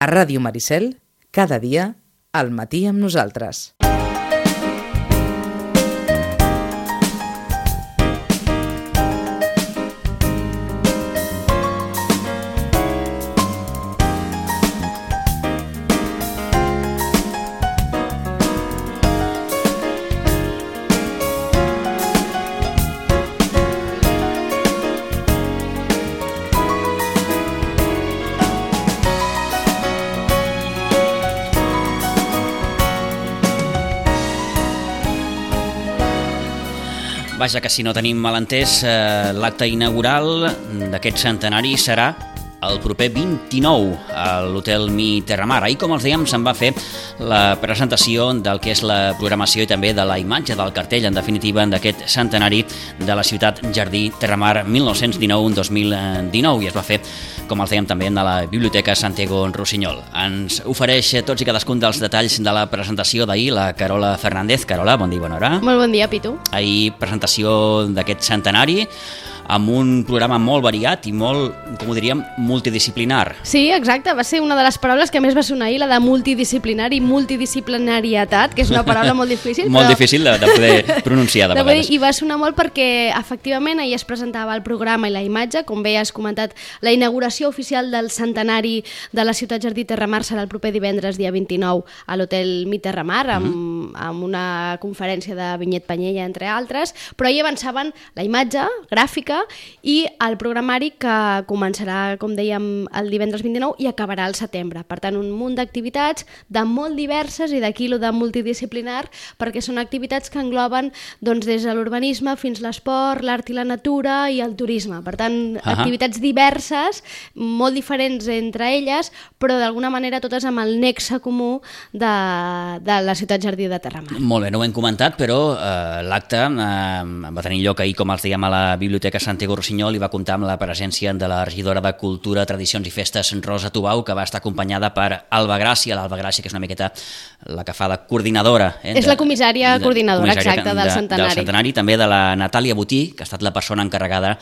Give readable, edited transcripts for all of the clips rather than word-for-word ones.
A Ràdio Maricel, cada dia, al matí amb nosaltres. Vaja, que si no tenim malentès, l'acte inaugural d'aquest centenari serà el proper 29 a l'Hotel Mi Terramar. Ahir, com els dèiem, se'n va fer la presentació del que és la programació i també de la imatge del cartell, en definitiva, d'aquest centenari de la ciutat Jardí Terramar 1919-2019, i es va fer, com els dèiem, també a la Biblioteca Santiago Rossinyol. Ens ofereix tots i cadascun dels detalls de la presentació d'ahir la Carola Fernández. Carola, bon dia i bona hora. Molt bon dia, Pitu. Ahir, presentació d'aquest centenari, amb un programa molt variat i molt, com ho diríem, multidisciplinar. Sí, exacte, va ser una de les paraules que més va sonar ahir, la de multidisciplinar i multidisciplinarietat, que és una paraula molt difícil. Molt difícil de poder pronunciar de vegades. I va sonar molt perquè, efectivament, ahir es presentava el programa i la imatge, com bé has comentat, la inauguració oficial del centenari de la ciutat Jardí Terramar serà el proper divendres, dia 29, a l'Hotel Mi Terramar, amb una conferència de Vinyet Panyella, entre altres, però ahir avançaven la imatge gràfica i el programari que començarà, com dèiem, el divendres 29 i acabarà al setembre. Per tant, un munt d'activitats de molt diverses, i d'aquí lo de multidisciplinar, perquè són activitats que engloben doncs, des de l'urbanisme fins l'esport, l'art i la natura i el turisme. Per tant, activitats diverses, molt diferents entre elles, però d'alguna manera totes amb el nexe comú de la ciutat Jardí de Terramar. Molt bé, no ho hem comentat, però l'acte va tenir lloc ahir, com els dèiem, a la Biblioteca Santiago Rossinyol, i va comptar amb la presència de la regidora de Cultura, Tradicions i Festes, Rosa Tubau, que va estar acompanyada per Alba Gràcia, l'Alba Gràcia, que és una miqueta la que fa de coordinadora. És la comissària coordinadora, exacte, del centenari. També de la Natàlia Botí, que ha estat la persona encarregada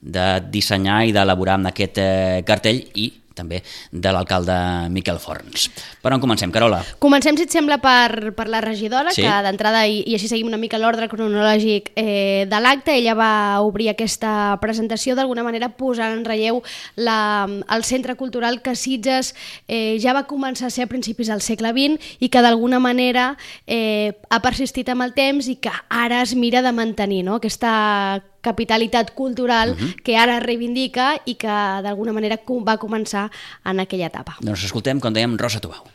de dissenyar i d'elaborar amb aquest cartell, i també de l'alcalde Miquel Forns. Per on comencem, Carola? Comencem, si et sembla, per la regidora, sí, que d'entrada, i així seguim una mica l'ordre cronològic de l'acte, ella va obrir aquesta presentació d'alguna manera posant en relleu el centre cultural que Sitges ja va començar a ser a principis del segle XX i que d'alguna manera ha persistit amb el temps i que ara es mira de mantenir, no? Aquesta capitalitat cultural que ara reivindica i que d'alguna manera va començar en aquella etapa. Doncs escoltem, com dèiem, Rosa Tubau.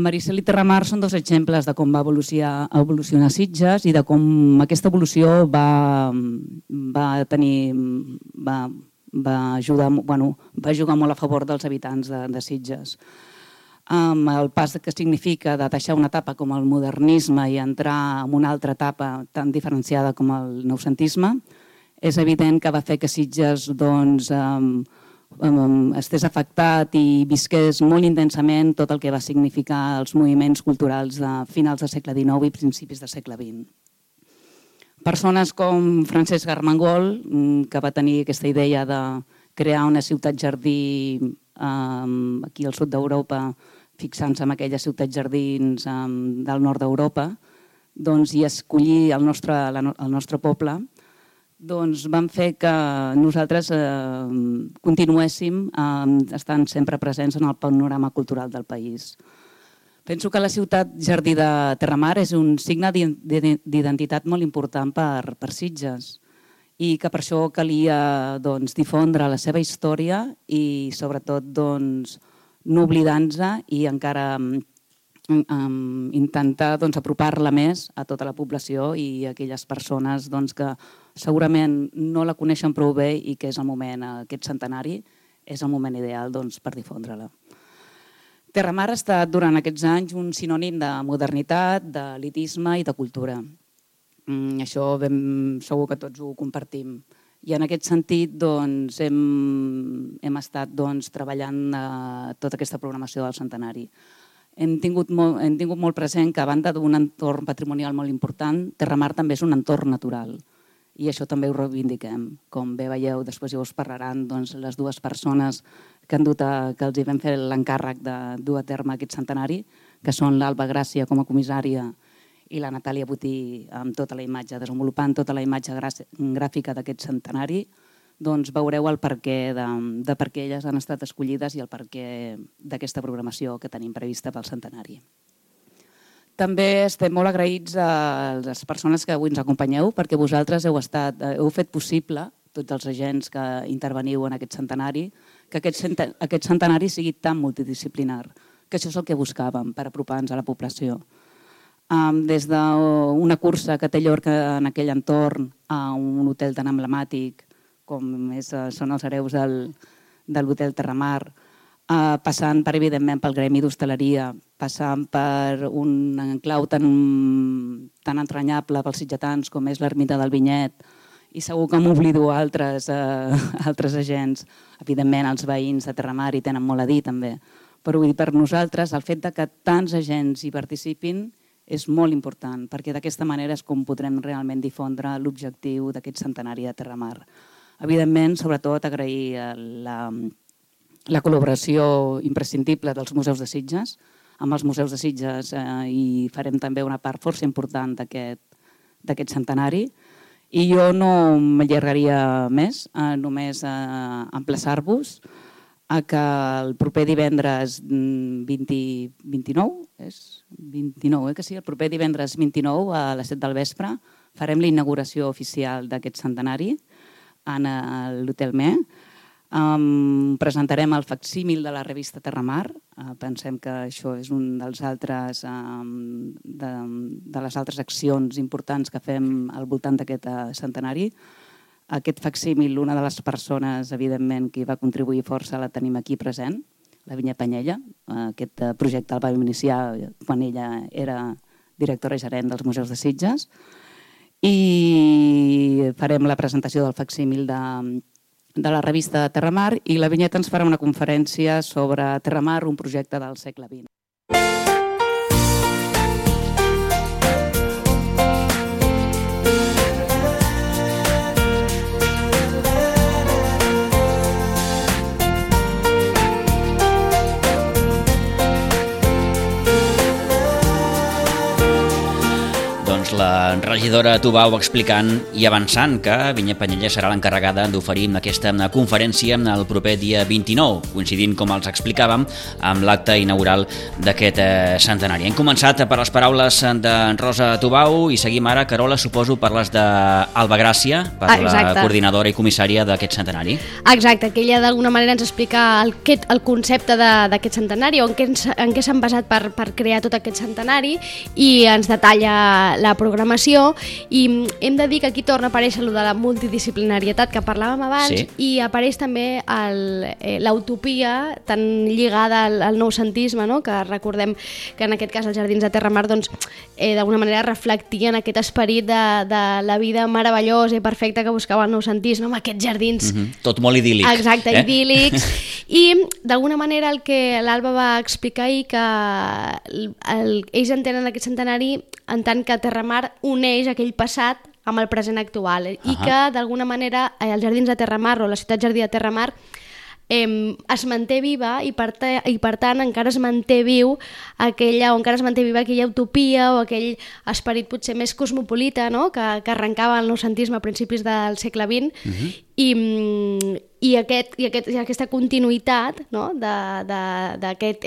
Maricel i Terramar són dos exemples de com va evolucionar Sitges i de com aquesta evolució va jugar molt a favor dels habitants de Sitges. El pas que significa de deixar una etapa com el modernisme i entrar en una altra etapa tan diferenciada com el noucentisme, és evident que va fer que Sitges estés afectat i visqués molt intensament tot el que va significar els moviments culturals de finals del segle XIX i principis del segle XX. Persones com Francesc Armengol, que va tenir aquesta idea de crear una ciutat jardí aquí al sud d'Europa, fixant-se en aquelles ciutats jardins del nord d'Europa, i escollir el nostre poble, van fer que nosaltres continuéssim estant sempre presents en el panorama cultural del país. Penso que la ciutat Jardí de Terramar és un signe d'identitat molt important per Sitges i que per això calia difondre la seva història i sobretot no oblidar-nos i encara intentar apropar-la més a tota la població i a aquelles persones que segurament no la coneixen prou bé i que és el moment, aquest centenari, és el moment ideal per difondre-la. Terramar ha estat durant aquests anys un sinònim de modernitat, d'elitisme i de cultura. Això segur que tots ho compartim. I en aquest sentit hem estat treballant tota aquesta programació del centenari. Hem tingut molt present que a banda d'un entorn patrimonial molt important, Terramar també és un entorn natural. i això també ho reivindiquem. Com bé veieu, després ja us parlaran les dues persones que els hi vam fer l'encàrrec de dur a terme aquest centenari, que són l'Alba Gràcia com a comissària i la Natàlia Botí amb tota la imatge, desenvolupant tota la imatge gràfica d'aquest centenari, doncs veureu el perquè de per què elles han estat escollides i el perquè d'aquesta programació que tenim prevista pel centenari. També estem molt agraïts a les persones que avui ens acompanyeu perquè vosaltres heu fet possible, tots els agents que interveniu en aquest centenari, que aquest centenari sigui tan multidisciplinar, que això és el que buscàvem per apropar-nos a la població. Des d'una cursa que té Llorca en aquell entorn a un hotel tan emblemàtic com són els hereus de l'hotel Terramar, passant per, evidentment, pel gremi d'hostaleria, passant per un enclau tan entranyable pels sitgetans com és l'ermita del Vinyet, i segur que m'oblido altres agents. Evidentment, els veïns de Terramar hi tenen molt a dir també, però vull dir, per nosaltres el fet que tants agents hi participin és molt important, perquè d'aquesta manera és com podrem realment difondre l'objectiu d'aquest centenari de Terramar. Evidentment, sobretot, agrair la col·laboració imprescindible dels museus de Sitges. Amb els museus de Sitges hi farem també una part força important d'aquest centenari. I jo no m'allargaria més, només emplaçar-vos a que el proper divendres 29, el proper divendres 29 a les 7 del vespre farem la inauguració oficial d'aquest centenari en l'Hotel Me. Presentarem el facsímil de la revista Terramar. Pensem que això és un de les altres accions importants que fem al voltant d'aquest centenari. Aquest facsímil, una de les persones, evidentment, que hi va contribuir força, la tenim aquí present, la Vinya Panyella. Aquest projecte el vam iniciar quan ella era directora gerent dels Museus de Sitges. I farem la presentació del facsímil de la revista Terramar i la Vinyeta ens farà una conferència sobre Terramar, un projecte del segle XX. La regidora Tubau explicant i avançant que Vinya Panyella serà l'encarregada d'oferir aquesta conferència el proper dia 29, coincidint, com els explicàvem, amb l'acte inaugural d'aquest centenari. Hem començat per les paraules de Rosa Tubau i seguim ara, Carola, suposo, per les d'Alba Gràcia, per la coordinadora i comissària d'aquest centenari. Exacte, que ella d'alguna manera ens explica el concepte d'aquest centenari o en què s'han basat per crear tot aquest centenari i ens detalla la programació i hem de dir que aquí torna a aparèixer allò de la multidisciplinarietat que parlàvem abans i apareix també l'utopia tan lligada al noucentisme, no? Que recordem que en aquest cas els Jardins de Terramar d'alguna manera reflectien aquest esperit de la vida meravellosa i perfecta que buscava el noucentisme amb aquests jardins. Tot molt idíl·lic. Exacte, idíl·lics. I d'alguna manera el que l'Alba va explicar ahir que ells entenen aquest centenari en tant que Terramar uneix aquell passat amb el present actual i que d'alguna manera els Jardins de Terramar o la ciutat jardí de Terramar es manté viva i per tant encara es manté viva aquella utopia o aquell esperit potser més cosmopolita, no? que arrencava el noucentisme a principis del segle XX i aquesta continuïtat, no? d'aquest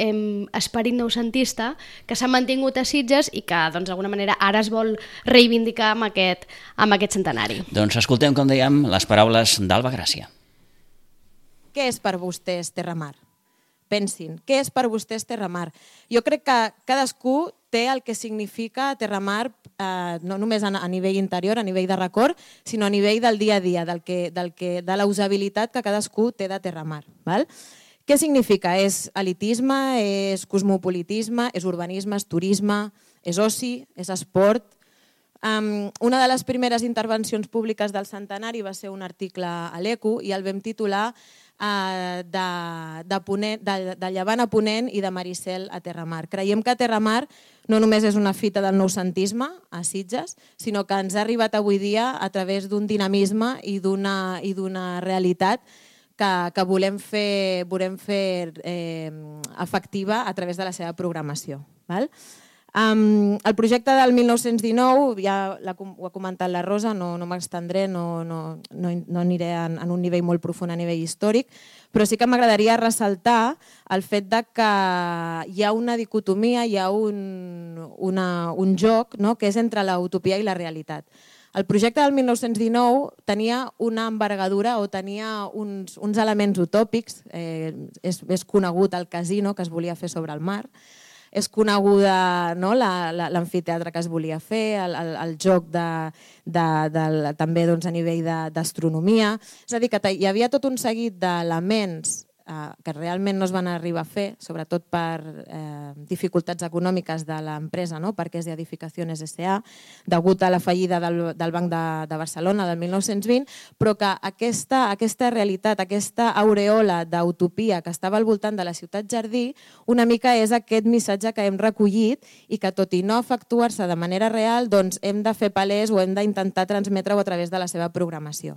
esperit noucentista que s'ha mantingut a Sitges i que d'alguna manera ara es vol reivindicar amb aquest centenari. Doncs escoltem, com dèiem, les paraules d'Alba Gràcia. Què és per vostès Terramar? Pensin, què és per vostès Terramar? Jo crec que cadascú té el que significa Terramar no només a nivell interior, a nivell de record, sinó a nivell del dia a dia, de la usabilitat que cadascú té de Terramar. Val? Què significa? És elitisme, és cosmopolitisme, és urbanisme, és turisme, és oci, és esport. Una de les primeres intervencions públiques del centenari va ser un article a l'ECO i el vam titular de llevant a ponent i de Maricel a Terramar. Creiem que Terramar no només és una fita del noucentisme a Sitges, sinó que ens ha arribat avui dia a través d'un dinamisme i d'una realitat que volem fer efectiva a través de la seva programació. El projecte del 1919, ja ho ha comentat la Rosa, no m'extendré, no aniré en un nivell molt profund a nivell històric, però sí que m'agradaria ressaltar el fet que hi ha una dicotomia, hi ha un joc que és entre la utopia i la realitat. El projecte del 1919 tenia una envergadura o tenia uns elements utòpics, és conegut el casino que es volia fer sobre el mar, és coneguda l'amfiteatre que es volia fer, el joc també a nivell d'astronomia. És a dir, que hi havia tot un seguit d'elements que realment no es van arribar a fer, sobretot per dificultats econòmiques de l'empresa, Parques i Edificaciones S.A., degut a la fallida del Banc de Barcelona del 1920, però que aquesta realitat, aquesta aureola d'utopia que estava al voltant de la ciutat jardí, una mica és aquest missatge que hem recollit i que, tot i no efectuar-se de manera real, doncs hem de fer palès o hem d'intentar transmetre-ho a través de la seva programació.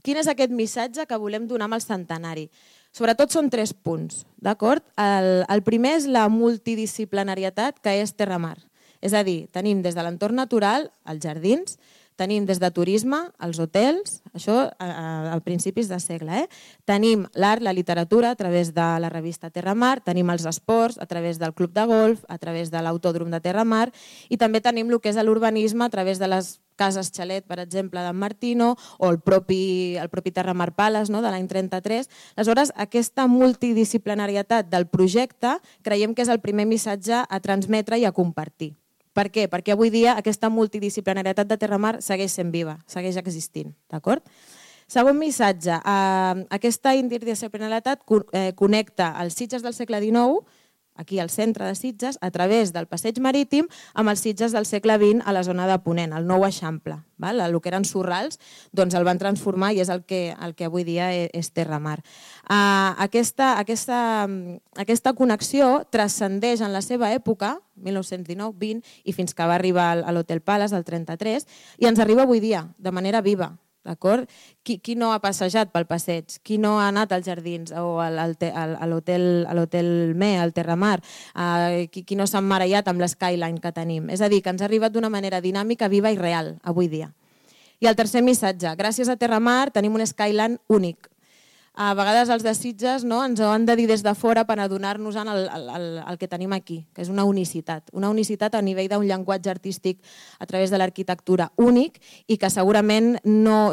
Quin és aquest missatge que volem donar amb el centenari? Sobretot són 3 punts, d'acord? El primer és la multidisciplinarietat que és Terramar. És a dir, tenim des de l'entorn natural, els jardins, tenim des de turisme, els hotels, això a principis de segle. Tenim l'art, la literatura a través de la revista Terramar, tenim els esports a través del club de golf, a través de l'autòdrom de Terramar i també tenim el que és l'urbanisme a través de les cases xalet, per exemple, d'en Martino o el propi Terramar Palace de l'any 33. Aleshores, aquesta multidisciplinarietat del projecte creiem que és el primer missatge a transmetre i a compartir. Per què? Perquè avui dia aquesta multidisciplinarietat de Terramar segueix sent viva, segueix existint. Segon missatge, aquesta interdisciplinarietat connecta els Sitges del segle XIX, aquí al centre de Sitges, a través del passeig marítim, amb els Sitges del segle XX a la zona de Ponent, el nou Eixample. El que eren Sorrals doncs el van transformar i és el que avui dia és Terramar. Aquesta connexió transcendeix en la seva època, 1919-20, i fins que va arribar a l'Hotel Palace, del 33, i ens arriba avui dia, de manera viva. Qui no ha passejat pel passeig? Qui no ha anat als jardins o a l'Hotel Me, al Terramar? Qui no s'ha emmarellat amb l'Skyline que tenim? És a dir, que ens ha arribat d'una manera dinàmica, viva i real avui dia. I el tercer missatge, gràcies a Terramar tenim un Skyline únic. A vegades els de Sitges ens ho han de dir des de fora per adonar-nos el que tenim aquí, que és una unicitat a nivell d'un llenguatge artístic a través de l'arquitectura únic i que segurament no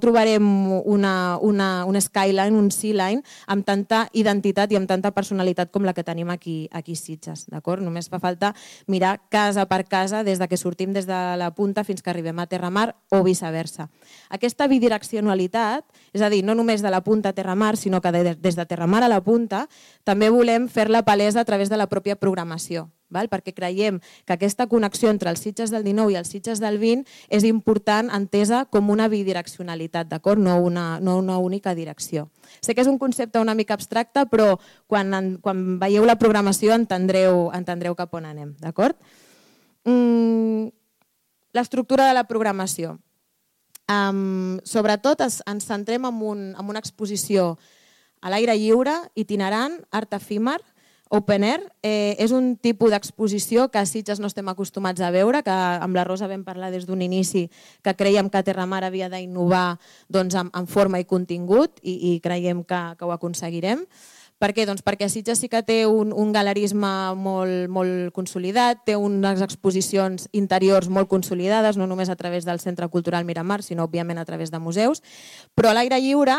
trobarem un skyline, un sea-line amb tanta identitat i amb tanta personalitat com la que tenim aquí a Sitges. Només fa falta mirar casa per casa des que sortim des de la punta fins que arribem a Terramar o viceversa. Aquesta bidireccionalitat, és a dir, no només de la punta a Terramar, sinó que des de Terramar a la punta també volem fer-la palesa a través de la pròpia programació, perquè creiem que aquesta connexió entre els Sitges del 19 i els Sitges del 20 és important, entesa com una bidireccionalitat, no una única direcció. Sé que és un concepte una mica abstracte, però quan veieu la programació entendreu cap on anem. L'estructura de la programació. Sobretot ens centrem en una exposició a l'aire lliure, itinerant, art efímer, open air. És un tipus d'exposició que a Sitges no estem acostumats a veure, que amb la Rosa vam parlar des d'un inici que creiem que Terramar havia d'innovar en forma i contingut i creiem que ho aconseguirem. Per què? Perquè Sitges sí que té un galerisme molt consolidat, té unes exposicions interiors molt consolidades, no només a través del Centre Cultural Miramar, sinó òbviament a través de museus, però a l'aire lliure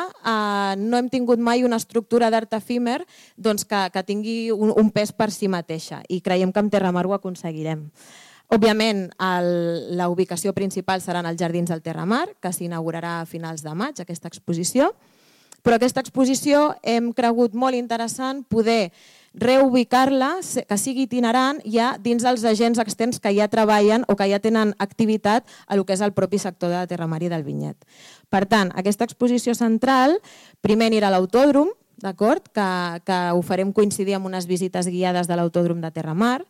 no hem tingut mai una estructura d'art efímer que tingui un pes per si mateixa i creiem que amb Terramar ho aconseguirem. Òbviament, la ubicació principal seran els Jardins del Terramar, que s'inaugurarà a finals de maig, aquesta exposició. Però aquesta exposició hem cregut molt interessant poder reubicar-la, que sigui itinerant ja dins dels agents externs que ja treballen o que ja tenen activitat a lo que és el propi sector de la Terramar i del vinyet. Per tant, aquesta exposició central primer anirà a l'autòdrom, d'acord? Que ho farem coincidir amb unes visites guiades de l'autòdrom de Terramar.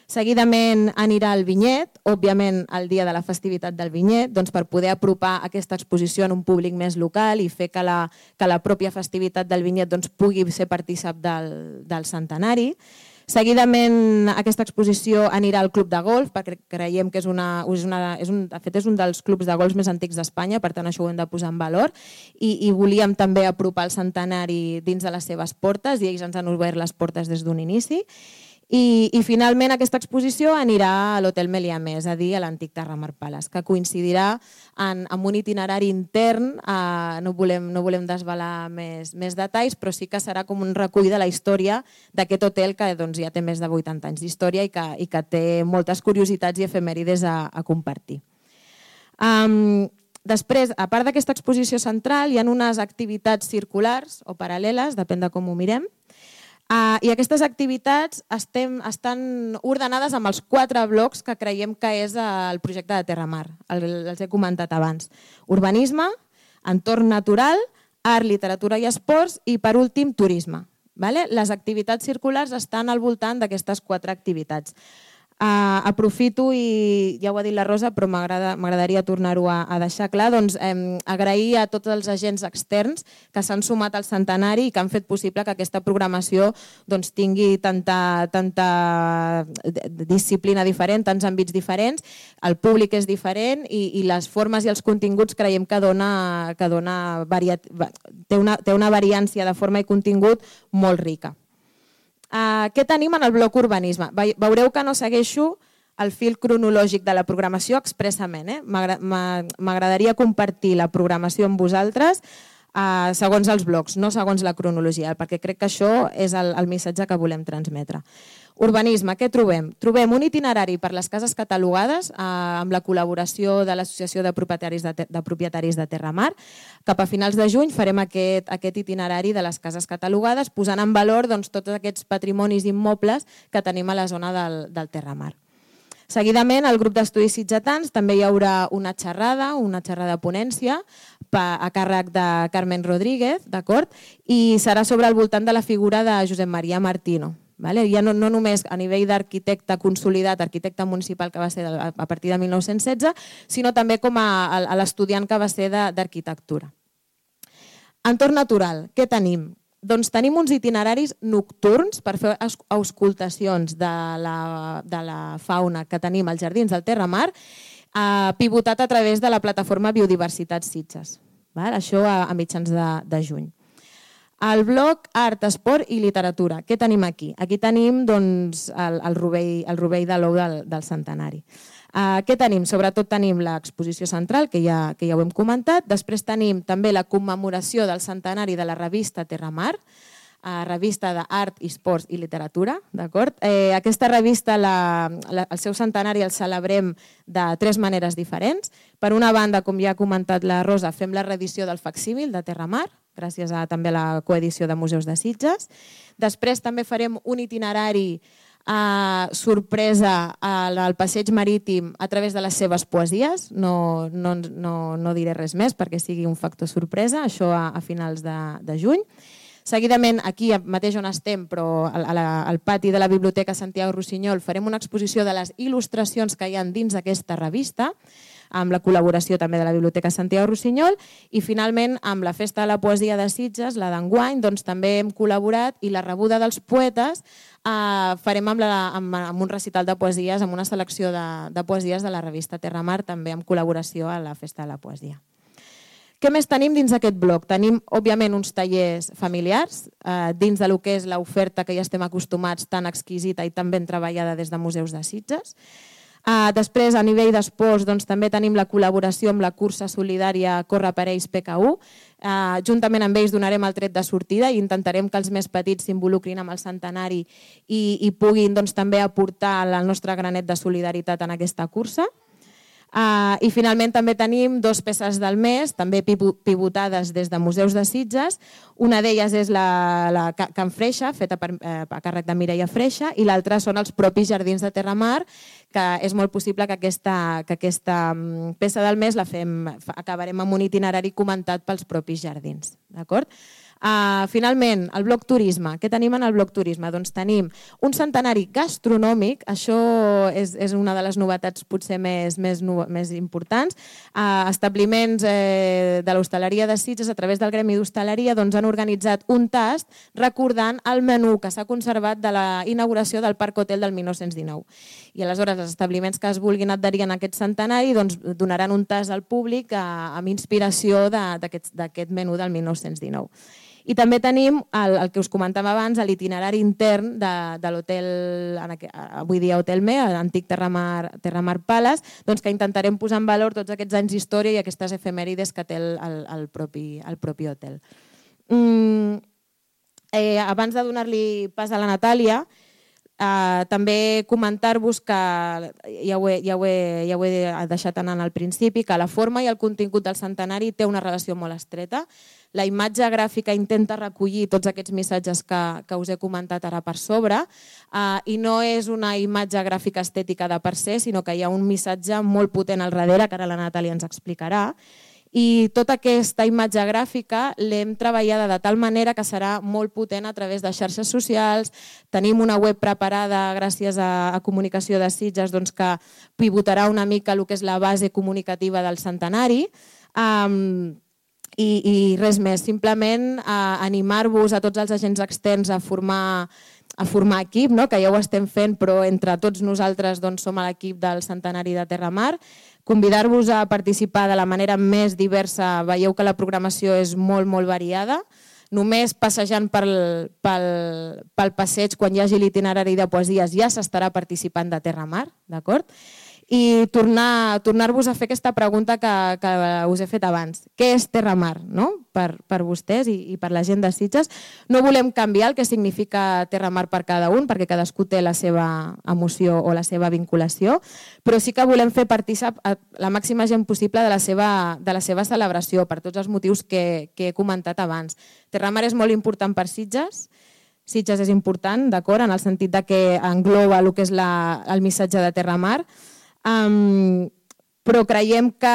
Seguidament anirà al vinyet, òbviament el dia de la festivitat del vinyet, doncs per poder apropar aquesta exposició en un públic més local i fer que la pròpia festivitat del vinyet doncs, pugui ser partícip del centenari. Seguidament aquesta exposició anirà al Club de Golf, perquè creiem que és un dels clubs de golf més antics d'Espanya, per tant això ho hem de posar en valor, i volíem també apropar el centenari dins de les seves portes, i ells ens han obert les portes des d'un inici. I finalment aquesta exposició anirà a l'Hotel Melià Més, és a dir, a l'antic Terramar Palace, que coincidirà amb un itinerari intern, no volem desvelar més detalls, però sí que serà com un recull de la història d'aquest hotel que ja té més de 80 anys d'història i que té moltes curiositats i efemèrides a compartir. Després, a part d'aquesta exposició central, hi ha unes activitats circulars o paral·leles, depèn de com ho mirem, i aquestes activitats estan ordenades amb els 4 blocs que creiem que és el projecte de Terramar, els he comentat abans. Urbanisme, entorn natural, art, literatura i esports i, per últim, turisme. Les activitats circulars estan al voltant d'aquestes 4 activitats. Aprofito, i ja ho ha dit la Rosa, però m'agradaria tornar-ho a deixar clar, doncs agrair a tots els agents externs que s'han sumat al centenari i que han fet possible que aquesta programació tingui tanta disciplina diferent, tants àmbits diferents, el públic és diferent i les formes i els continguts creiem que té una variància de forma i contingut molt rica. Què tenim en el bloc urbanisme? Veureu que no segueixo el fil cronològic de la programació expressament. M'agradaria compartir la programació amb vosaltres segons els blocs, no segons la cronologia, perquè crec que això és el missatge que volem transmetre. Urbanisme, què trobem? Trobem un itinerari per les cases catalogades amb la col·laboració de l'Associació de Propietaris de Terramar. Cap a finals de juny farem aquest itinerari de les cases catalogades posant en valor tots aquests patrimonis immobles que tenim a la zona del Terramar. Seguidament, al grup d'estudis sitgetans també hi haurà una xerrada ponència a càrrec de Carmen Rodríguez, d'acord? I serà sobre el voltant de la figura de Josep Maria Martino. Ja no només a nivell d'arquitecte consolidat, arquitecte municipal que va ser a partir de 1916, sinó també com a l'estudiant que va ser d'arquitectura. Entorn natural, què tenim? Doncs tenim uns itineraris nocturns per fer auscultacions de la fauna que tenim als jardins del Terramar, pivotat a través de la plataforma Biodiversitat Sitges. Això a mitjans de juny. El bloc Art, Esport i Literatura. Què tenim aquí? Aquí tenim el rovell de l'ou del centenari. Què tenim? Sobretot tenim l'exposició central, que ja ho hem comentat. Després tenim també la commemoració del centenari de la revista Terramar, revista d'art, esports i literatura. Aquesta revista, el seu centenari el celebrem de 3 maneres diferents. Per una banda, com ja ha comentat la Rosa, fem la reedició del facsímil de Terramar, gràcies també a la coedició de Museus de Sitges. Després també farem un itinerari sorpresa al passeig marítim a través de les seves poesies. No diré res més perquè sigui un factor sorpresa, això a finals de juny. Seguidament, aquí mateix on estem, però al pati de la Biblioteca Santiago Rossinyol, farem una exposició de les il·lustracions que hi ha dins d'aquesta revista, amb la col·laboració també de la Biblioteca Santiago Rossinyol, i finalment amb la Festa de la Poesia de Sitges, la d'enguany, també hem col·laborat i la rebuda dels poetes farem amb un recital de poesies, amb una selecció de poesies de la revista Terramar, també amb col·laboració a la Festa de la Poesia. Què més tenim dins aquest bloc? Tenim, òbviament, uns tallers familiars dins del que és l'oferta que ja estem acostumats, tan exquisita i tan ben treballada des de Museus de Sitges. Després, a nivell d'esports, també tenim la col·laboració amb la cursa solidària Corre per ells PK1. Juntament amb ells donarem el tret de sortida i intentarem que els més petits s'involucrin amb el centenari i puguin també aportar el nostre granet de solidaritat en aquesta cursa. I finalment també tenim 2 peces del mes, també pivotades des de Museus de Sitges. Una d'elles és la Can Freixa, feta a càrrec de Mireia Freixa, i l'altra són els propis Jardins de Terramar, que és molt possible que aquesta peça del mes acabarem amb un itinerari comentat pels propis jardins. D'acord? Finalment, el bloc turisme. Què tenim en el bloc turisme? Doncs tenim un centenari gastronòmic, això és una de les novetats potser més importants. Establiments de l'hostaleria de Sitges, a través del Gremi d'Hostaleria, han organitzat un tast recordant el menú que s'ha conservat de la inauguració del Parc Hotel del 1919. I aleshores els establiments que es vulguin adherir a aquest centenari donaran un tast al públic amb inspiració d'aquest menú del 1919. I també tenim el que us comentava abans, l'itinerari intern de l'hotel, avui dia Hotel Me, l'antic Terramar Palace, que intentarem posar en valor tots aquests anys d'història i aquestes efemèrides que té el propi hotel. Abans de donar-li pas a la Natàlia, també comentar-vos que, ja ho he deixat anar al principi, que la forma i el contingut del centenari té una relació molt estreta. La imatge gràfica intenta recollir tots aquests missatges que us he comentat ara per sobre i no és una imatge gràfica estètica de per se, sinó que hi ha un missatge molt potent al darrere, que ara la Natàlia ens explicarà. I tota aquesta imatge gràfica l'hem treballada de tal manera que serà molt potent a través de xarxes socials. Tenim una web preparada gràcies a Comunicació de Sitges que pivotarà una mica el que és la base comunicativa del centenari. I res més, simplement animar-vos a tots els agents externs a formar equip, que ja ho estem fent, però entre tots nosaltres som a l'equip del centenari de Terramar. Convidar-vos a participar de la manera més diversa. Veieu que la programació és molt, molt variada. Només passejant pel passeig, quan hi hagi l'itinerari de poesies, ja s'estarà participant de Terramar, d'acord? I tornar-vos a fer aquesta pregunta que us he fet abans. Què és Terramar, per vostès i per la gent de Sitges? No volem canviar el que significa Terramar per cada un, perquè cadascú té la seva emoció o la seva vinculació, però sí que volem fer partícip la màxima gent possible de la seva celebració, per tots els motius que he comentat abans. Terramar és molt important per Sitges. Sitges és important, d'acord, en el sentit que engloba el que és el missatge de Terramar, però creiem que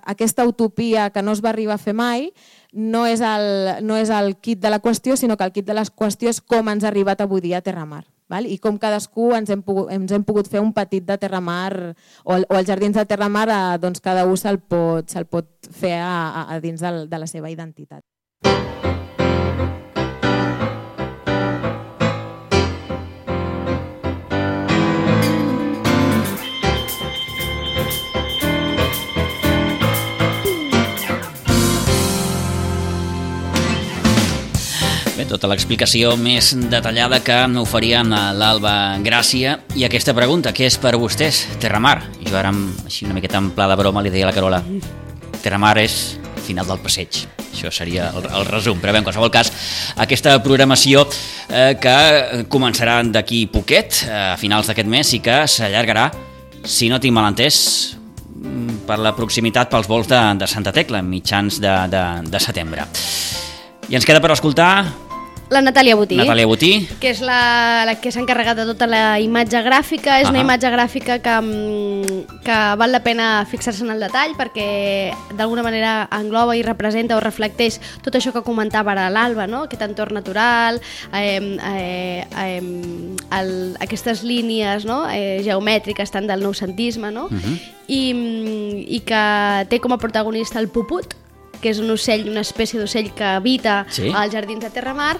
aquesta utopia que no es va arribar a fer mai no és el quid de la qüestió, sinó que el quid de la qüestió és com ens ha arribat avui dia a Terramar. I com cadascú ens hem pogut fer un petit de Terramar o els jardins de Terramar, cada un se'l pot fer a dins de la seva identitat. Bé, tota l'explicació més detallada que oferia l'Alba Gràcia i aquesta pregunta, què és per vostès Terramar? Jo ara, així una miqueta en pla de broma, li deia a la Carola, Terramar és final del passeig. Això seria el resum, però bé, en qualsevol cas, aquesta programació que començarà d'aquí poquet, a finals d'aquest mes, i que s'allargarà, si no tinc mal entès, per la proximitat pels vols de Santa Tecla, mitjans de setembre. I ens queda per escoltar la Natàlia Botí. Natàlia Botí. Que és la que s'ha encarregat de tota la imatge gràfica. És una imatge gràfica que val la pena fixar-se en el detall perquè d'alguna manera engloba i representa o reflecteix tot això que comentava ara l'Alba, no? Aquest entorn natural, aquestes línies, no? Geomètriques tant del noucentisme, no? I que té com a protagonista el puput, que és un ocell, una espècie d'ocell que habita als jardins de Terramar,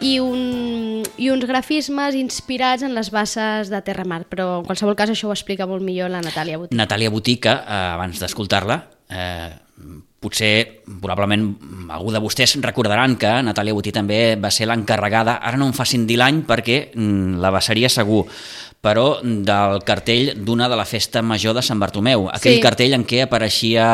i uns grafismes inspirats en les basses de Terramar. Però en qualsevol cas això ho explica molt millor la Natàlia Botí. Natàlia Botí, que abans d'escoltar-la, potser, probablement, algú de vostès recordaran que Natàlia Botí també va ser l'encarregada, ara no em facin dir l'any perquè la passaria segur, però del cartell d'una de la festa major de Sant Bartomeu. Aquell cartell en què apareixia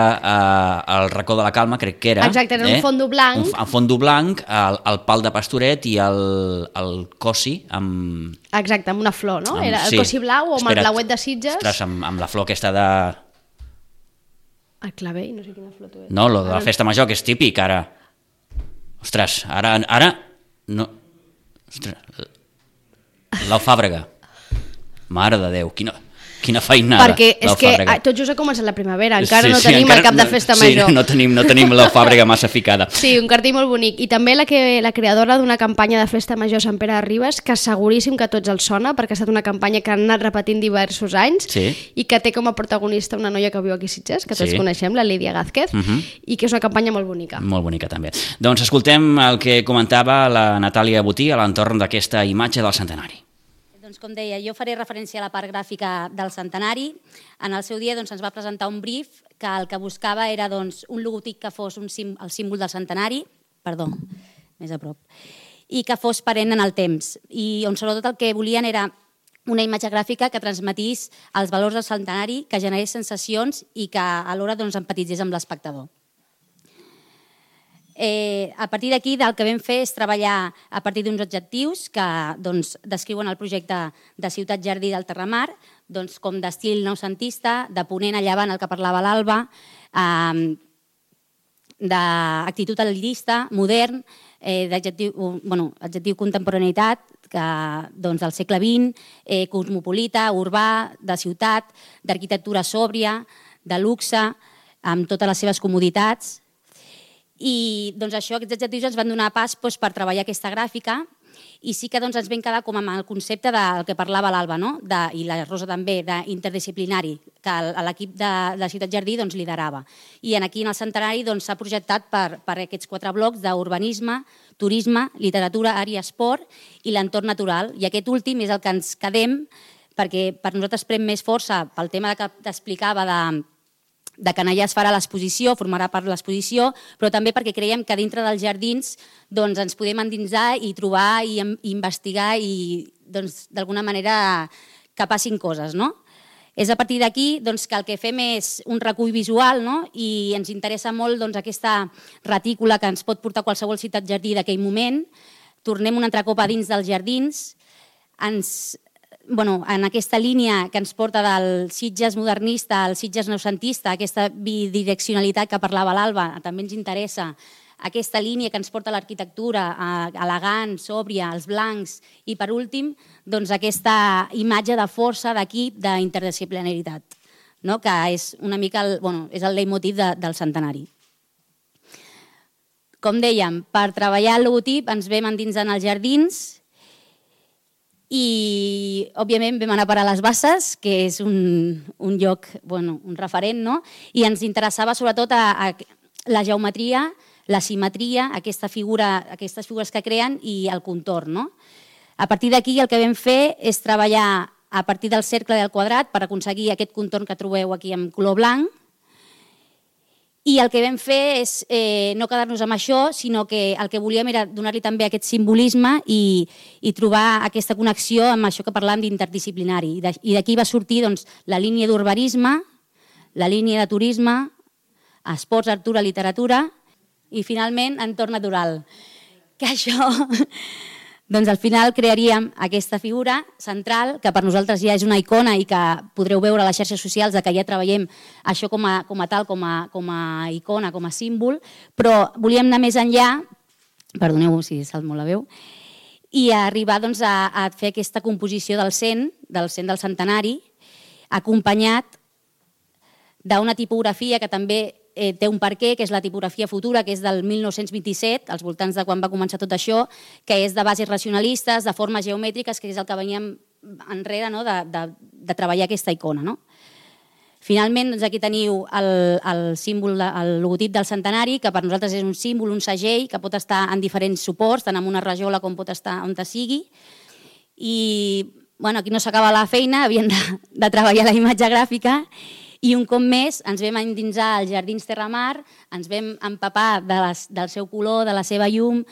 el racó de la Calma, crec que era. Exacte, era un fondo blanc. Un fondo blanc, el pal de Pastoret i el cosi amb... Exacte, amb una flor, no? Era el cosi blau o amb el blauet de Sitges. Ostres, amb la flor aquesta de... El clavell, no sé quina flor tu és. No, lo de la festa major, que és típic, ara. Ostres, ara no... Ostres, l'alfàbrega. Mare de Déu, quina feinada. Perquè és que tot just ha començat la primavera, encara no tenim el cap de festa major. Sí, no tenim l'alfàbrega massa ficada. Sí, un cartell molt bonic. I també la creadora d'una campanya de festa major a Sant Pere de Ribes, que seguríssim que a tots els sona, perquè ha estat una campanya que han anat repetint diversos anys i que té com a protagonista una noia que viu aquí a Sitges, que tots coneixem, la Lídia Gázquez, i que és una campanya molt bonica. Molt bonica, també. Doncs escoltem el que comentava la Natàlia Botí a l'entorn d'aquesta imatge del centenari. Doncs com deia, jo faré referència a la part gràfica del centenari. En el seu dia ens va presentar un brief que el que buscava era un logotip que fos el símbol del centenari, perdó, més a prop, i que fos perenne en el temps. I on sobretot el que volien era una imatge gràfica que transmetís els valors del centenari, que generés sensacions i que alhora empatitzés amb l'espectador. A partir d'aquí, el que vam fer és treballar a partir d'uns objectius que descriuen el projecte de Ciutat Jardí del Terramar, com d'estil noucentista, de ponent a llevant, el que parlava l'Alba, d'actitud al·lirista, modern, adjectiu contemporaneïtat, del segle XX, cosmopolita, urbà, de ciutat, d'arquitectura sòbria, de luxe, amb totes les seves comoditats. I aquests adjectius ens van donar pas per treballar aquesta gràfica i sí que ens vam quedar com amb el concepte del que parlava l'Alba, i la Rosa també, d'interdisciplinari, que l'equip de Ciutat Jardí liderava. I aquí en el centenari s'ha projectat per aquests 4 blocs d'urbanisme, turisme, literatura, art i esport i l'entorn natural. I aquest últim és el que ens quedem perquè per nosaltres pren més força pel tema que t'explicava de que allà es farà l'exposició, formarà part de l'exposició, però també perquè creiem que dintre dels jardins ens podem endinsar i trobar i investigar i d'alguna manera que passin coses. És a partir d'aquí que el que fem és un recull visual i ens interessa molt aquesta retícula que ens pot portar qualsevol ciutat jardí d'aquell moment. Tornem un altre cop a dins dels jardins, en aquesta línia que ens porta del Sitges modernista al Sitges noucentista, aquesta bidireccionalitat que parlava l'Alba, també ens interessa aquesta línia que ens porta a l'arquitectura, elegant, sòbria, els blancs i, per últim, aquesta imatge de força, d'equip, d'interdisciplinaritat, que és una mica és el leitmotiv del centenari. Com dèiem, per treballar el logotip ens vam endinsar en els jardins i, òbviament, vam anar a parar a les Basses, que és un lloc, un referent, i ens interessava sobretot la geometria, la simetria, aquestes figures que creen i el contorn. A partir d'aquí el que vam fer és treballar a partir del cercle i del quadrat per aconseguir aquest contorn que trobeu aquí en color blanc. I el que vam fer és no quedar-nos amb això, sinó que el que volíem era donar-li també aquest simbolisme i trobar aquesta connexió amb això que parlàvem d'interdisciplinari. I d'aquí va sortir la línia d'urbanisme, la línia de turisme, esports, artura, literatura i, finalment, entorn natural. Que això... al final crearíem aquesta figura central, que per nosaltres ja és una icona i que podreu veure a les xarxes socials que ja treballem això com a tal, com a icona, com a símbol, però volíem anar més enllà, perdoneu si salt molt la veu, i arribar a fer aquesta composició del 100 del centenari, acompanyat d'una tipografia que també té un perquè, que és la tipografia futura, que és del 1927, als voltants de quan va començar tot això, que és de bases racionalistes, de formes geomètriques, que és el que veníem enrere de treballar aquesta icona. Finalment, aquí teniu el símbol, el logotip del centenari, que per nosaltres és un símbol, un segell, que pot estar en diferents suports, tant en una rajola com pot estar on sigui. I aquí no s'acaba la feina, havíem de treballar la imatge gràfica. I un cop més ens vam endinsar als Jardins Terramar, ens vam empapar del seu color, de la seva llum,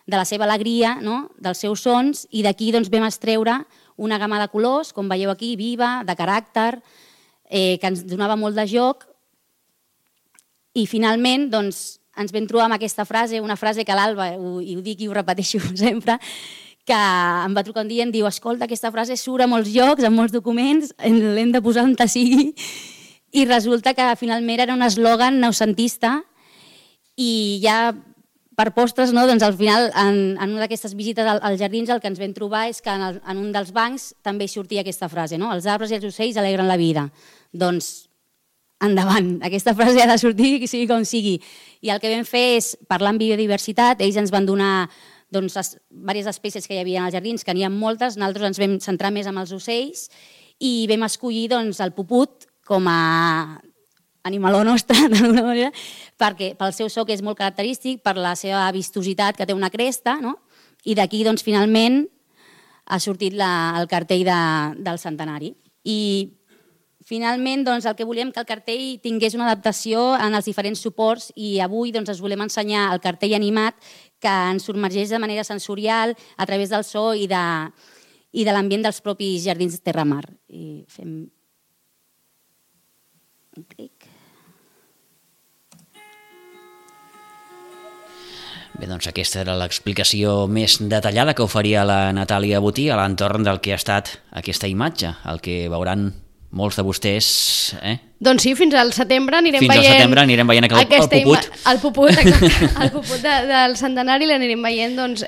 de la seva alegria, dels seus sons, i d'aquí vam extreure una gamma de colors, com veieu aquí, viva, de caràcter, que ens donava molt de joc. I finalment ens vam trobar amb aquesta frase, una frase que l'Alba, i ho dic i ho repeteixo sempre, que em va trucar un dia i em diu: escolta, aquesta frase surt a molts llocs, a molts documents, l'hem de posar on sigui. I resulta que finalment era un eslògan noucentista i ja per postres, no? Doncs al final, en una d'aquestes visites als jardins, el que ens vam trobar és que en un dels bancs també sortia aquesta frase, no? Els arbres i els ocells alegren la vida. Doncs endavant, aquesta frase ha de sortir, sigui com sigui. I el que vam fer és parlar amb biodiversitat, ells ens van donar diverses espècies que hi havia als jardins, que n'hi ha moltes, nosaltres ens vam centrar més en els ocells i vam escollir el puput com a animaló nostre, d'alguna manera, perquè pel seu so que és molt característic, per la seva vistositat que té una cresta, no? I d'aquí finalment ha sortit el cartell del centenari. I finalment el que volíem que el cartell tingués una adaptació en els diferents suports i avui us volem ensenyar el cartell animat que ens submergeix de manera sensorial a través del so i de l'ambient dels propis jardins de Terramar. I fem un clic. Bé, doncs aquesta era l'explicació més detallada que oferia la Natàlia Botí a l'entorn del que ha estat aquesta imatge, el que veuran molts de vostès. Doncs sí, fins al setembre anirem veient... Fins al setembre anirem veient el puput. El puput, exacte. El puput del centenari l'anirem veient, doncs,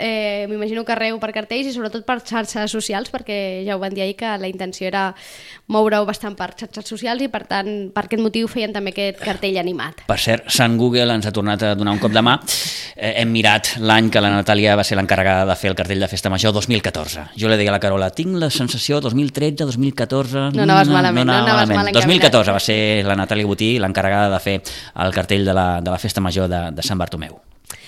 m'imagino que arreu per cartells i sobretot per xarxes socials, perquè ja ho van dir ahir que la intenció era moure-ho bastant per xarxes socials i per tant, per aquest motiu feien també aquest cartell animat. Per cert, Sant Google ens ha tornat a donar un cop de mà. Hem mirat l'any que la Natàlia va ser l'encarregada de fer el cartell de Festa Major 2014. Jo li deia a la Carola, tinc la sensació 2013, 2014... No anaves malament, no anaves mal encaminat. 2014 va ser la Natàlia Botí l'encarregada de fer el cartell de la Festa Major de Sant Bartomeu.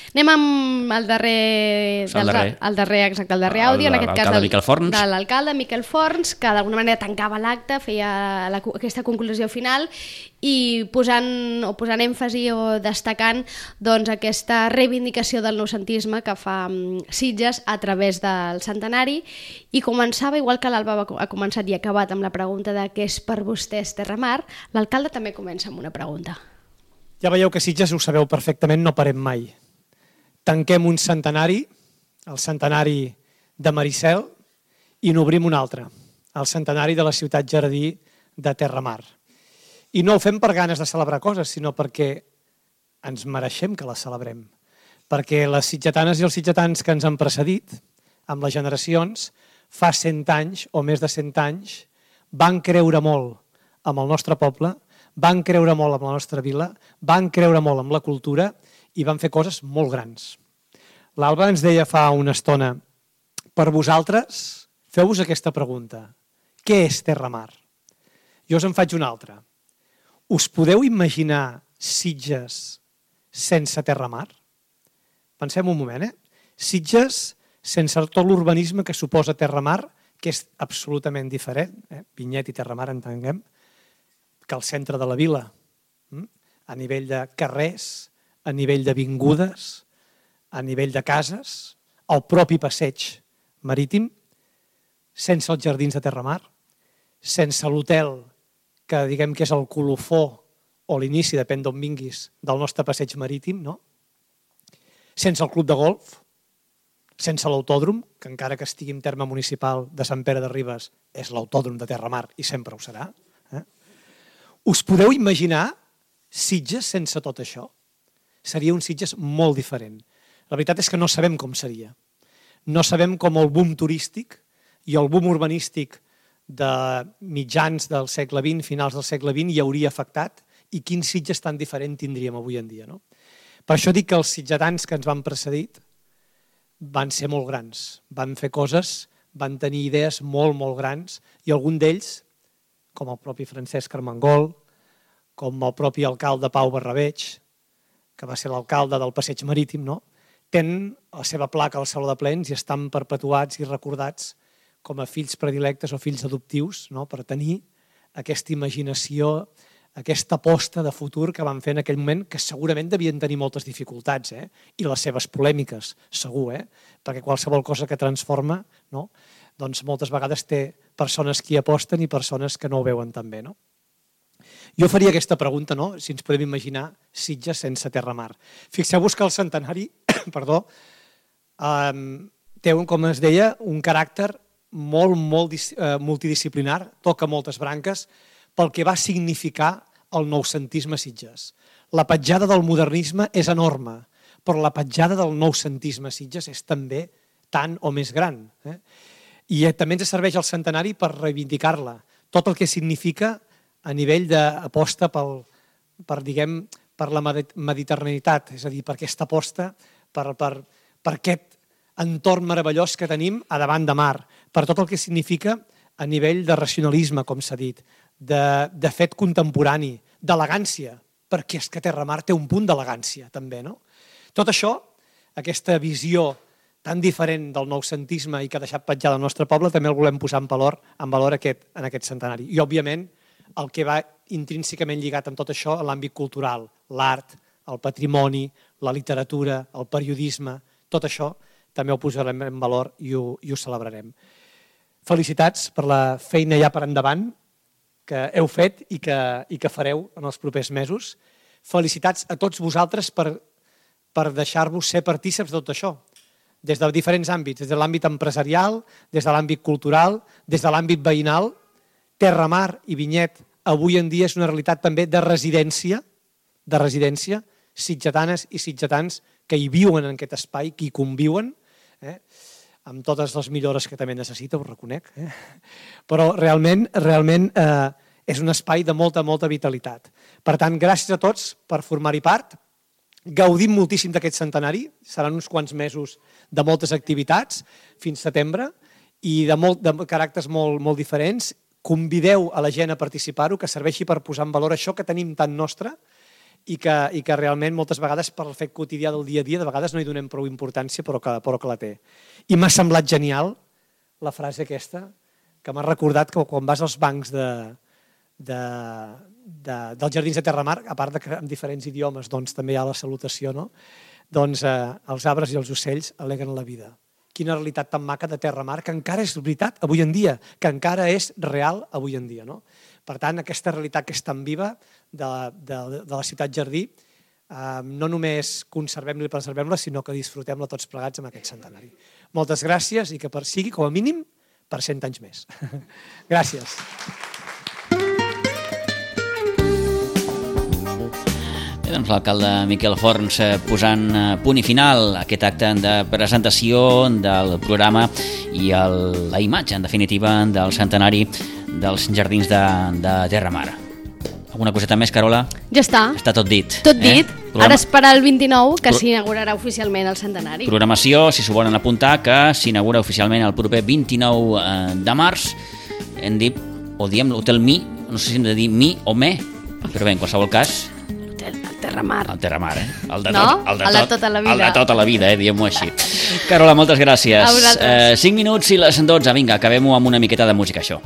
Anem amb el darrer àudio, en aquest cas de l'alcalde Miquel Forns, que d'alguna manera tancava l'acte, feia aquesta conclusió final i posant èmfasi o destacant aquesta reivindicació del noucentisme que fa Sitges a través del centenari i començava, igual que l'Alba ha començat i acabat amb la pregunta de què és per vostès Terramar, l'alcalde també comença amb una pregunta. Ja veieu que Sitges, ho sabeu perfectament, no parem mai. Tanquem un centenari, el centenari de Maricel, i n'obrim un altre, el centenari de la ciutat jardí de Terramar. I no ho fem per ganes de celebrar coses, sinó perquè ens mereixem que les celebrem. Perquè les sitgetanes i els sitgetans que ens han precedit, amb les generacions, fa 100 anys o més de 100 anys, van creure molt amb el nostre poble, van creure molt amb la nostra vila, van creure molt amb la cultura i van fer coses molt grans. L'Alba ens deia fa una estona, per vosaltres, feu-vos aquesta pregunta. Què és Terramar? Jo us en faig una altra. Us podeu imaginar Sitges sense Terramar? Pensem un moment, Sitges sense tot l'urbanisme que suposa Terramar, que és absolutament diferent, Vinyet i Terramar entenguem, que el centre de la vila, a nivell de carrers, a nivell d'avingudes, a nivell de cases, el propi passeig marítim, sense els jardins de Terramar, sense l'hotel, que diguem que és el colofó o l'inici, depèn d'on vinguis, del nostre passeig marítim, no? Sense el club de golf, sense l'autòdrom, que encara que estigui en terme municipal de Sant Pere de Ribes, és l'autòdrom de Terramar i sempre ho serà. Us podeu imaginar Sitges sense tot això? Seria un Sitges molt diferent. La veritat és que no sabem com seria. No sabem com el boom turístic i el boom urbanístic de mitjans del segle XX, finals del segle XX, hi hauria afectat i quin Sitges tan diferent tindríem avui en dia. No? Per això dic que els sitgetans que ens van precedit van ser molt grans, van fer coses, van tenir idees molt, molt grans i algun d'ells, com el propi Francesc Armengol, com el propi alcalde Pau Barrabeig, que va ser l'alcalde del Passeig Marítim, no? Tenen la seva placa al Saló de Plens i estan perpetuats i recordats com a fills predilectes o fills adoptius, no? Per tenir aquesta imaginació, aquesta aposta de futur que van fer en aquell moment, que segurament devien tenir moltes dificultats, i les seves polèmiques, segur, perquè qualsevol cosa que transforma, no? Doncs moltes vegades té persones que hi aposten i persones que no ho veuen tan bé, no? Jo faria aquesta pregunta, no? Si ens podem imaginar Sitges sense Terramar. Fixeu-vos que el centenari té, com es deia, un caràcter molt multidisciplinar, toca moltes branques, pel que va significar el noucentisme a Sitges. La petjada del modernisme és enorme, però la petjada del noucentisme a Sitges és també tant o més gran. I també ens serveix el centenari per reivindicar-la. Tot el que significa a nivell d'aposta per la mediterraneïtat, és a dir, per aquesta aposta, per aquest entorn meravellós que tenim a davant de mar, per tot el que significa a nivell de racionalisme, com s'ha dit, de fet contemporani, d'elegància, perquè és que Terramar té un punt d'elegància, també, no? Tot això, aquesta visió tan diferent del noucentisme i que ha deixat petjar el nostre poble, també el volem posar en valor en aquest centenari. I, òbviament, el que va intrínsecament lligat amb tot això a l'àmbit cultural, l'art, el patrimoni, la literatura, el periodisme, tot això també ho posarem en valor i ho celebrarem. Felicitats per la feina ja per endavant que heu fet i que fareu en els propers mesos. Felicitats a tots vosaltres per deixar-vos ser partíceps de tot això, des de diferents àmbits, des de l'àmbit empresarial, des de l'àmbit cultural, des de l'àmbit veïnal. Terramar i Vinyet avui en dia és una realitat també de residència, sitgetanes i sitgetans que hi viuen en aquest espai, que hi conviuen, amb totes les millores que també necessita, ho reconec, però realment és un espai de molta vitalitat. Per tant, gràcies a tots per formar-hi part. Gaudim moltíssim d'aquest centenari, seran uns quants mesos de moltes activitats, fins setembre, i de caràcters molt diferents. Convideu a la gent a participar-ho, que serveixi per posar en valor això que tenim tan nostre i que realment moltes vegades per el fet quotidià del dia a dia de vegades no hi donem prou importància però que la té. I m'ha semblat genial la frase aquesta que m'ha recordat que quan vas als bancs dels jardins de Terramar, a part que en diferents idiomes també hi ha la salutació, no? Doncs els arbres i els ocells alegren la vida. Quina realitat tan maca de Terramar, que encara és veritat avui en dia, que encara és real avui en dia. No? Per tant, aquesta realitat que és tan viva de la ciutat jardí, no només conservem-la i preservem-la, sinó que disfrutem-la tots plegats amb aquest centenari. Moltes gràcies i que sigui, com a mínim, per 100 anys més. Gràcies. Doncs l'alcalde Miquel Forns posant punt i final a aquest acte de presentació del programa i la imatge, en definitiva, del centenari dels jardins de Terramar. Alguna coseta més, Carola? Ja està. Està tot dit. Tot dit. Ara esperar el 29, que s'inaugurarà oficialment el centenari. Programació, si s'ho volen apuntar, que s'inaugura oficialment el proper 29 de març. Hem dit, o diem l'Hotel Mi, no sé si hem de dir Mi o Me, però bé, en qualsevol cas... Terramar. El Terramar, El de tota la vida. El de tota la vida, diguem-ho així. Carola, moltes gràcies. 5 minuts i les 12. Vinga, acabem-ho amb una miqueta de música, això.